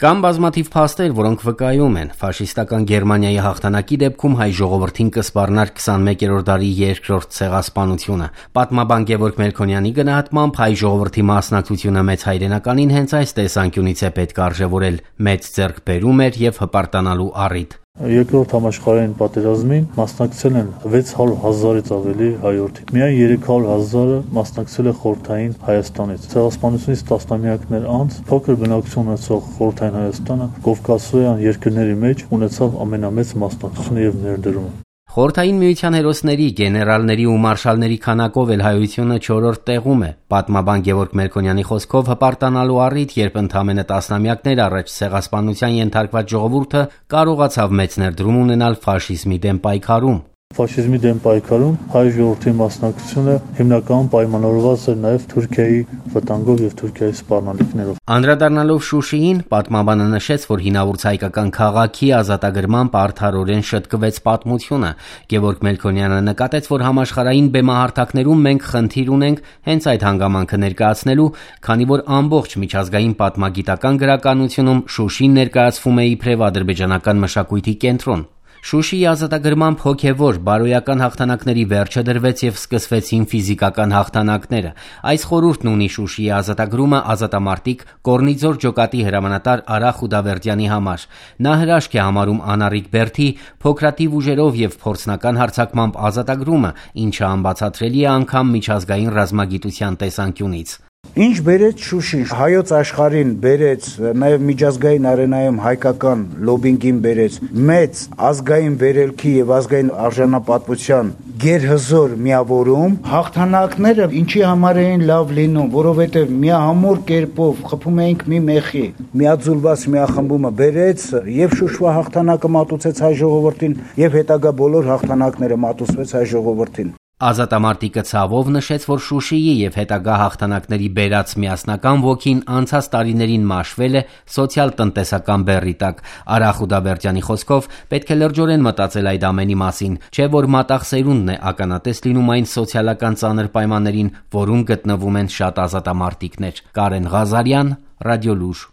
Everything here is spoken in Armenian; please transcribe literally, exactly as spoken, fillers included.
Կան բազմաթիվ փաստեր, որոնք վկայում են, ֆաշիստական Գերմանիայի հաղթանակի դեպքում հայ ժողովրդին կսպառնար քսանմեկերորդ դարի երկրորդ ցեղասպանությունը։ Պատմաբան Գևորգ Մելքոնյանի գնահատմամբ հայ ժողովրդի մասնակցությունը մեծ հայրենականին հենց այս տեսանկյունից է պետք արժևորել, մեծ ձեռքբերում էր եւ հպարտանալու առիթ։ Երկրորդ համաշխարհային պատերազմին մասնակցել են վեց հարյուր հազարից ավելի հայորդի։ Միայն երեք հարյուր հազարը մասնակցել է խորհրդային Հայաստանից։ Ցեղասպանությունից տասնամյակներ անց փոքր բնակչություն ունեցող խորհրդային Հայաստանը կովկասոյան երկրների մեջ ունեցավ ամենամեծ մասնակցությունը եւ ներդրումը։ Խորհրդային միության հերոսների, գեներալների ու մարշալների քանակով էլ հայությունը չորրորդ տեղում է։ Պատմաբան Գևորգ Մելքոնյանի խոսքով հպարտանալու առիթ, երբ ընդամենը տասնամյակներ առաջ ցեղասպանության ենթարկված ժողովուրդը կարողացավ մեծ ներդրում ունենալ ֆաշիզմի դեմ պայքարում։ Ֆաշիզմի դեմ պայքարում հայ ժողովրդի մասնակցությունը հիմնականում պայմանավորված էր նաև Թուրքիայի վտանգով եւ Թուրքիայի սպառնալիքներով։ Անդրադառնալով Շուշիին, պատմաբանը նշեց, որ հինավուրց հայկական քաղաքի ազատագրմամբ արդարորեն շտկվեց պատմությունը։ Գևորգ Մելքոնյանը նկատեց, որ համաշխարհային բեմահարթակներում մենք խնդիր ունենք հենց այդ հանգամանքը ներկայացնելու, քանի որ ամբողջ միջազգային պատմագիտական գրականությունում Շուշին ներկայացվում է իբրև ադրբեջանական մշակույթի կենտրոն։ Շուշիի ազատագրմամբ հոգևոր, բարոյական հաղթանակների վերջը դրվեց եւ սկսվեցին ֆիզիկական հաղթանակները։ Այս խորհուրդն ունի Շուշիի ազատագրումը ազատամարտիկ Կորնիձոր ջոկատի հրամանատար Արա Խուդավերդյանի համար։ Նա հրաշք է համարում անառիկ Բերդի փոքրաթիվ ուժերով եւ փորձնական հարձակմամբ ազատագրումը, ինչը անբացատրելի է անգամ միջազգային ռազմագիտության տեսանկյունից։ Ինչ բերեց Շուշին, հայոց աշխարհին բերեց, նաև միջազգային արենայում հայկական լոբինգին բերեց մեծ ազգային վերելքի եւ ազգային արժանապատվության գերհզոր միավորում, հաղթանակները ինչի համար էին լավ լինում, որովհետեւ միահամուռ կերպով խփում էինք մի մեխի, միաձուլված միախմբումը բերեց եւ Շուշվա հաղթանակը մատուցեց հայ ժողովրդին եւ հետագա բոլոր հաղթանակները մատուցվեց հայ ժողովրդին։ Ազատամարտիկը ցավով նշեց, որ Շուշիի եւ հետագա հաղթանակների բերած միասնական ոգին անցած տարիներին մաշվել է սոցիալ-տնտեսական բեռի տակ։ Արա Խուդավերդյանի խոսքով պետք է լրջորեն մտածել այդ ամենի մասին, չէ՞ որ մատաղ սերունդն է ականատես լինում այն սոցիալական ծանր պայմաններին, որում գտնվում են շատ ազատամարտիկներ։ Կարեն Ղազարյան, Ռադիոլուր։